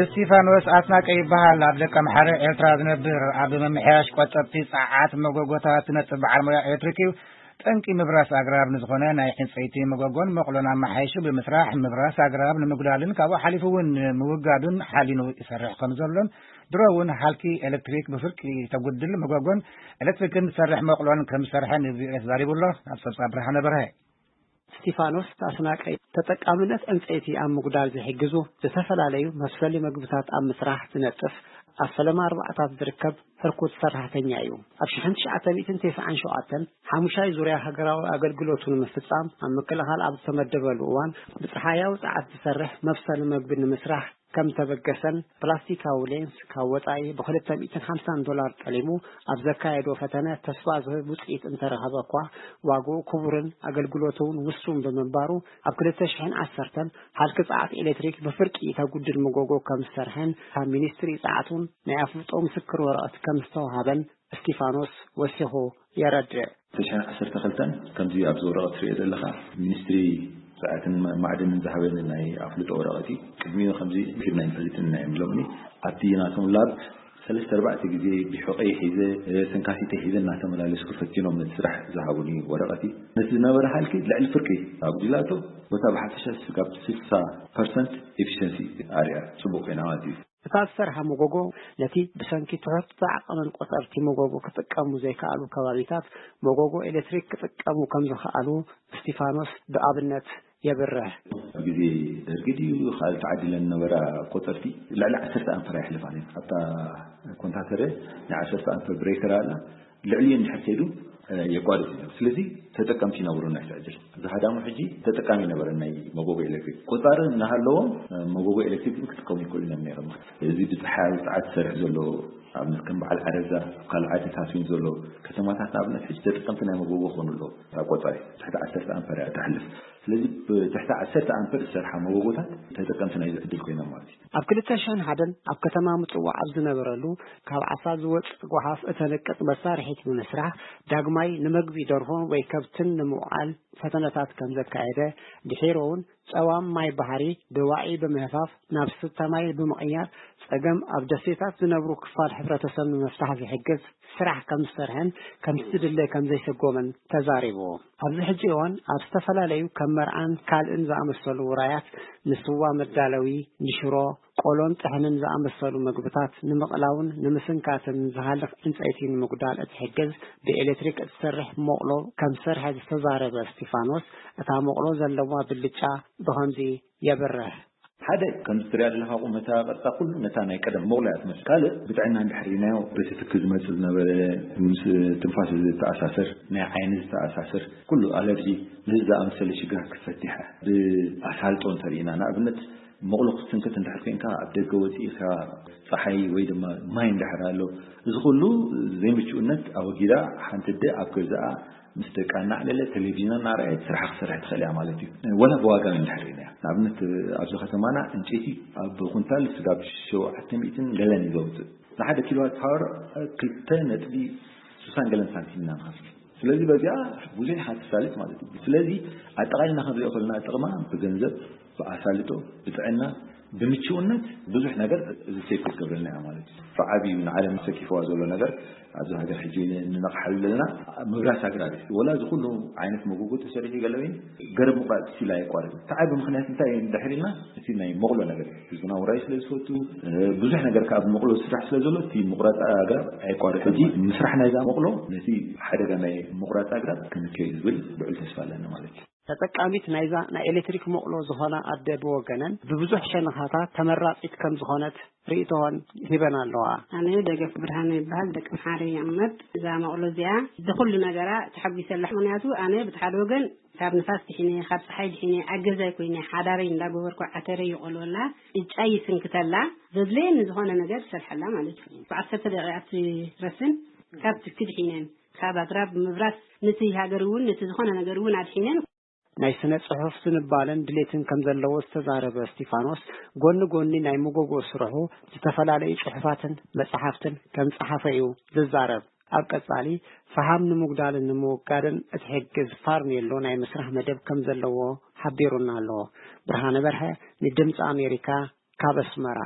እስቲፋኖስ ኣስናቀ ይበሃል። ኣብ ደቀምሓረ ኤርትራ ዝነብር፣ ኣብ ምምሕያሽ ቆጠብቲ ጸዓት መጎጎታት ዝነጥፍ በዓል ሞያ ኤሌክትሪክ እዩ። ጠንቂ ምብራስ ኣግራብ ንዝኾነ ናይ ዕንጸይቲ መጎጎን መቑሎን ኣመሓይሹ ብምስራሕ፣ ምብራስ ኣግራብ ንምጉዳልን ካብኡ ሓሊፉ እውን ንምውጋዱን ሓሊኑ ይሰርሕ ከም ዘሎን፣ ድሮ እውን ሃልኪ ኤሌክትሪክ ብፍርቂ ተጉድል መጎጎን ኤሌክትሪክን ዝሰርሕ መቑሎን ከም ዝሰርሐ ንቪኦኤ ተዛሪቡ ኣሎ። ኣብ ጸብጻብ ብርሃነ በርሀ። እስቲፋኖስ ኣስናቀ፣ ተጠቃምነት ዕንጸይቲ ኣብ ምጉዳል ዝሕግዙ ዝተፈላለዩ መብሰሊ መግብታት ኣብ ምስራሕ ዝነጥፍ ኣብ ፈለማ ኣርባዕታት ዝርከብ ህርኩት ሰራሕተኛ እዩ። ኣብ ሽሕን ትሽዓተ ሚእትን ተስዓን ሸውዓተን ሓሙሻይ ዙርያ ሃገራዊ ኣገልግሎቱ ንምፍጻም ኣብ ምክልኻል ኣብ ዝተመደበሉ እዋን፣ ብጸሓያዊ ጸዓት ዝሰርሕ መብሰሊ መግቢ ንምስራሕ ከም ተበገሰን፣ ፕላስቲካዊ ሌንስ ካብ ወጻኢ ብ ክልተ ሚእትን ሓምሳን ዶላር ጠሊሙ ኣብ ዘካየዶ ፈተነ ተስፋ ዝህብ ውጽኢት እንተረኸበ እኳ፣ ዋግኡ ክቡርን ኣገልግሎቱ እውን ውሱን ብምንባሩ፣ ኣብ ክልተ ሽሕን ዓሰርተን ሃልኪ ጸዓት ኤሌክትሪክ ብፍርቂ ተጉድል መጎጎ ከም ዝሰርሐን ካብ ሚኒስትሪ ጸዓት እውን ናይ ኣፍልጦ ምስክር ወረቐት ከም ዝተዋሃበን እስቲፋኖስ ወሲኹ የረድእ። ክልተ ሽሕን ዓሰርተ ክልተን ከምዚ ኣብዚ ወረቐት ትሪኦ ዘለኻ ሚኒስትሪ ጸዓትን ማዕድንን ዝሃበኒ ናይ ኣፍልጦ ወረቐት እዩ። ቅድሚኡ ከምዚ ሂብና ኣይንፈልጥን ኢና እዮም ኢሎምኒ። ኣብቲ ናቶም ላብ ሰለስተ ኣርባዕተ ግዜ ብሑቐይ ሒዘ፣ ተንካፊተይ ሒዘ እናተመላለስኩ ፈቲኖም ነቲ ስራሕ ዝሃቡኒ ወረቐት እዩ። ነቲ ዝነበረ ሃልኪ ልዕሊ ፍርቂ ኣጉዲላቶ፣ ቦታ ብሓፈሻ ስጋብ ስልሳ ፐርሰንት ኤፊሽንሲ ኣርያ ጽቡቕ ኮይና ማለት እዩ። እታ ዝሰርሓ መጎጎ ነቲ ብሰንኪ ትሑት ዓቐንን ቆጸርቲ መጎጎ ክጥቀሙ ዘይከኣሉ ከባቢታት መጎጎ ኤሌክትሪክ ክጥቀሙ ከም ዝኸኣሉ እስቲፋኖስ ብኣብነት የብርህ። ኣብ ግዜ ደርጊ ድዩ ካልእ ተዓዲለን ዝነበራ ቆጸርቲ ልዕሊ ዓሰርተ ኣምፐር ኣይሕልፋን እየን። ኣብታ ኮንታተረ ናይ ዓሰርተ ኣምፐር ብሬከር ኣላ። ልዕሊኡ እንድሕር ከይዱ፣ እ፣ የቋርጽ እዩ። ስለዚ ተጠቀምቲ ይነብሩ ናይ ትዕድል። እዚ ሃዳሙ ሕጂ ተጠቃሚ ነበረ ናይ መጎጎ ኤሌክትሪክ። ቆጻሪ እናሃለዎም፣ እ፣ መጎጎ ኤሌክትሪክ ግን ክጥቀሙ ይክእሉ እዮም ነይሮም። እዚ ብጸሓያዊ ጸዓት ዝሰርሕ ዘሎ ኣብነት ከም በዓል ዓረዛ፣ ኣብ ካልእ ዓድታት እውን ዘሎ ከተማታት ንኣብነት ሕጂ ተጠቀምቲ ናይ መጎጎ ክኾኑ ኣለዎ። ኣብ ቆጻሪ ትሕቲ ዓሰርተ ኣምፐር እያ ትሓልፍ። ስለዚ ብትሕቲ ዓሰርተ ኣምፐር ዝሰርሓ መጎጎታት ተጠቀምቲ ናይዚ ዕድል ኮይኖም ማለት እዩ። ኣብ ክልተ ሽሕን ሓደን ኣብ ከተማ ምጽዋዕ ኣብ ዝነበረሉ፣ ካብ ዓሳ ዝወጽእ ጓሓፍ እተንቅጽ መሳርሒት ብምስራሕ፣ ዳግማይ ንመግቢ ደርሆ ወይ ከብትን ንምውዓል ፈተነታት ከም ዘካየደ፣ ድሒሩ እውን ጸዋም ማይ ባሕሪ ብዋዒ ብምህፋፍ ናብ ስተ ማይ ብምቕያር፣ ጸገም ኣብ ደሴታት ዝነብሩ ክፋል ሕብረተሰብ ንምፍታሕ ዝሕግዝ ስራሕ ከም ዝሰርሐን ከም ዝድለ ከም ዘይሰጎምን ተዛሪቡ። ኣብዚ ሕጂ እዋን ኣብ ዝተፈላለዩ ከም መርዓን ካልእን ዝኣመሰሉ ውራያት ንስዋ መዳለዊ፣ ንሽሮ፣ ቆሎን ጥሕንን ዝኣመሰሉ መግብታት ንምቕላውን ንምስንካትን ዝሃልኽ ዕንጸይቲ ንምጉዳል እትሕግዝ ብኤሌክትሪክ እትሰርሕ ሞቕሎ ከም ዝሰርሐ ዝተዛረበ እስቲፋኖስ፣ እታ ሞቕሎ ዘለዋ ብልጫ ብኸምዚ የብርህ። ሓደ፣ ከምዚ ትሪኣ ዘለኻ ቁመታ፣ ቅርጻ፣ ኩሉ ነታ ናይ ቀደም ሞቕሎ እያ ትመስል። ካልእ፣ ብጥዕና እንድሕር ርኢናዮ፣ በቲ ትኪ ዝመጽእ ዝነበረ፣ ምስ ትንፋስ ዝተኣሳሰር፣ ናይ ዓይኒ ዝተኣሳሰር፣ ኩሉ ኣለርጂ፣ ነዚ ዝኣመሰለ ሽግራት ክትፈትሕ እያ። ብኣሳልጦ እንተርኢና፣ ንኣብነት፣ ሞቕሎ ክትስንክት እንድሕር ኮይንካ፣ ኣብ ደገ ወጺእካ፣ ጸሓይ ወይ ድማ ማይ እንድሕር ኣሎ፣ እዚ ኩሉ ዘይምቹእነት ኣወጊዳ፣ ሓንቲ ኣደ ኣብ ገዛኣ ምስ ደቃ እናዕለለ ቴሌቪዥን እናረኣየት ስራሓ ክትሰርሕ ትኽእል እያ ማለት እዩ። ወላ ብዋጋ እንድሕር ርኢናያ፣ ንኣብነት ኣብዚ ከተማና ዕንጨይቲ ኣብ ኩንታል ስጋብ ሸውዓተ ሚእትን ገለን እዩ ዘውፅእ። ንሓደ ኪሎዋት ፓወር ክልተ ነጥቢ ስሳን ገለን ሳንቲም ኢና ንኸፍል። ስለዚ በዚኣ ብዙሕ ኢኻ ትሳልጥ ማለት እዩ። ስለዚ ኣጠቓሊልና ክንሪኦ ከለና ጥቕማ ብገንዘብ፣ ብኣሳልጦ፣ ብጥዕና፣ ብምችውነት ብዙሕ ነገር እዚ ሴፍ ክትገብረልና እያ ማለት እዩ። ብዓብዩ ንዓለም ሰኪፍዋ ዘሎ ነገር ኣብዚ ሃገር ሕጂ ንነቕሓሉ ዘለና ምብራስ ኣግራብ እዩ። ወላ እዚ ኩሉ ዓይነት መጎጎ ተሰሪሑ ገለ ወይን ገረብ ምቑራፅ ስቲል ኣየቋርጥን። እቲ ዓቢ ምኽንያት እንታይ እዩ እንድሕር ኢልና፣ እቲ ናይ መቑሎ ነገር እዩ። ህዝብና ውራይ ስለ ዝፈቱ፣ እ፣ ብዙሕ ነገር ከዓ ብመቑሎ ዝስራሕ ስለ ዘሎ፣ እቲ ምቑራፅ ኣግራብ ኣየቋርጥን። ሕጂ ምስራሕ ናይዛ መቑሎ ነቲ ሓደጋ ናይ ምቑራፅ ኣግራብ ክንክዮ እዩ ዝብል ልዑል ተስፋ ኣለና ማለት እዩ። ተጠቃሚት ናይዛ ናይ ኤሌክትሪክ መቑሎ ዝኾና ኣደ ብወገነን፣ ብብዙሕ ሸነኻታ ተመራፂት ከም ዝኾነት ርእይቶን ሂበን ኣለዋ። ኣነ ደገፍ ብርሃነ ይበሃል፣ ደቂ ምሓረ ይቕመጥ። እዛ መቑሎ እዚኣ ብኹሉ ነገራ ተሓጒሰላ። ምኽንያቱ ኣነ ብቲ ሓደ ወገን ካብ ንፋስ ድሒነ፣ ካብ ፀሓይ ድሒነ፣ ኣብ ገዛይ ኮይነ ሓዳረይ እንዳገበርኩ ዓተረይ ይቆልወላ፣ ዕጫይ ይስንክተላ፣ ዘድለየኒ ዝኾነ ነገር ይሰርሐላ ማለት እዩ። ብዓሰርተ ደቂቃ ትረስን ካብ ትኪ ድሒነን፣ ካብ ኣግራብ ምብራስ ነቲ ሃገር እውን ነቲ ዝኾነ ነገር እውን ኣድሒነን። ናይ ስነ ጽሑፍ ዝንባለን ድሌትን ከም ዘለዎ ዝተዛረበ እስቲፋኖስ፣ ጎኒ ጎኒ ናይ መጎጎ ስርሑ ዝተፈላለዩ ጽሑፋትን መጽሓፍትን ከም ጸሓፈ እዩ ዝዛረብ። ኣብ ቀጻሊ ፈሃም ንምጉዳልን ንምውጋድን እትሕግዝ ፋርኔሎ ናይ ምስራሕ መደብ ከም ዘለዎ ሓቢሩና ኣሎ። ብርሃነ በርሀ፣ ንድምፂ ኣሜሪካ፣ ካብ ኣስመራ።